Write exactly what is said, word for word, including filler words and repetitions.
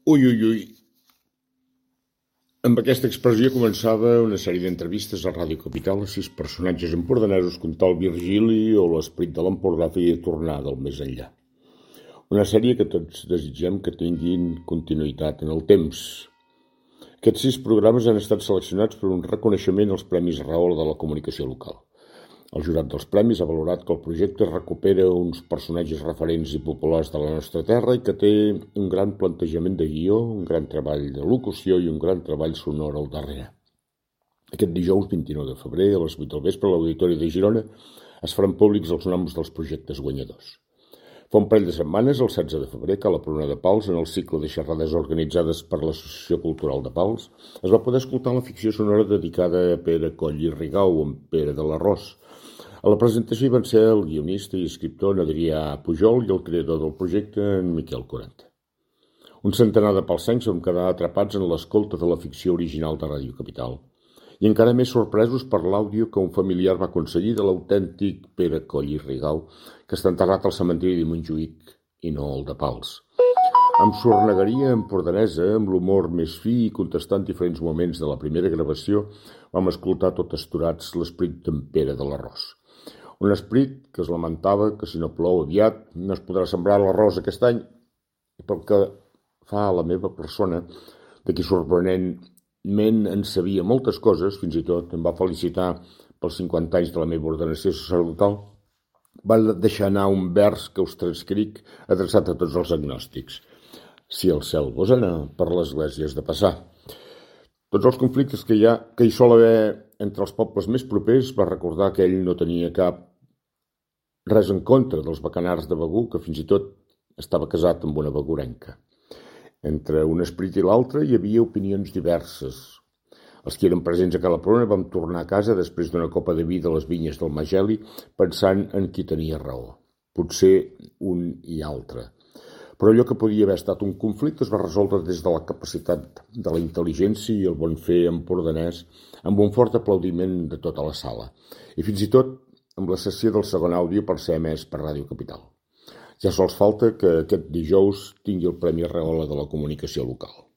Ui, ui, ui. Amb aquesta expressió començava una sèrie d'entrevistes a Ràdio Capital a sis personatges empordanesos que un tal Virgili o l'esperit de l'Empordà feia tornar del més enllà. Una sèrie que tots desitgem que tinguin continuïtat en el temps. Aquests sis programes han estat seleccionats per un reconeixement als Premis Rahola de la comunicació local. El jurat dels premis ha valorat que el projecte recupera uns personatges referents i populars de la nostra terra i que té un gran plantejament de guió, un gran treball de locució i un gran treball sonor al darrere. Aquest dijous vint-i-nou de febrer, a les vuit del vespre, a l'Auditori de Girona, es faran públics els noms dels projectes guanyadors. Fa un parell de setmanes, el setze de febrer, que a la Pruna de Pals, en el cicle de xerrades organitzades per l'Associació Cultural de Pals, es va poder escoltar la ficció sonora dedicada a Pere Coll i Rigau, amb Pere de l'Arròs. A la presentació hi van ser el guionista i escriptor Adrià Pujol i el creador del projecte, en Miquel Quaranta. Un centenar de palsencs vam quedar atrapats en l'escolta de la ficció original de Ràdio Capital i encara més sorpresos per l'àudio que un familiar va aconseguir de l'autèntic Pere Coll i Rigau, que està enterrat al cementiri de Montjuïc i no el de Pals. Amb sornegueria empordanesa, amb l'humor més fi i contestant diferents moments de la primera gravació, vam escoltar tot esturats l'esperit d'en Pere de l'Arròs. Un esperit que es lamentava que si no plou aviat no es podrà sembrar l'arròs aquest any, i pel que fa a la meva persona, de qui sorprenentment en sabia moltes coses, fins i tot em va felicitar pels cinquanta anys de la meva ordenació sacerdotal, va deixar anar un vers que us transcric adreçat a tots els agnòstics. Si el cel vos anar, per l'església has de passar. Tots els conflictes que hi ha, que hi sol haver entre els pobles més propers, va recordar que ell no tenia cap res en contra dels bacanars de Begur, que fins i tot estava casat amb una begurenca. Entre un esperit i l'altre hi havia opinions diverses. Els que eren presents a Cala Pruna vam tornar a casa després d'una copa de vi de les vinyes del Mageli, pensant en qui tenia raó. Potser un i altre. Però allò que podia haver estat un conflicte es va resoldre des de la capacitat de la intel·ligència i el bon fer empordanès, amb un fort aplaudiment de tota la sala. I fins i tot amb la sessió del segon àudio per ser emès per Ràdio Capital. Ja sols falta que aquest dijous tingui el Premi Rahola de la comunicació local.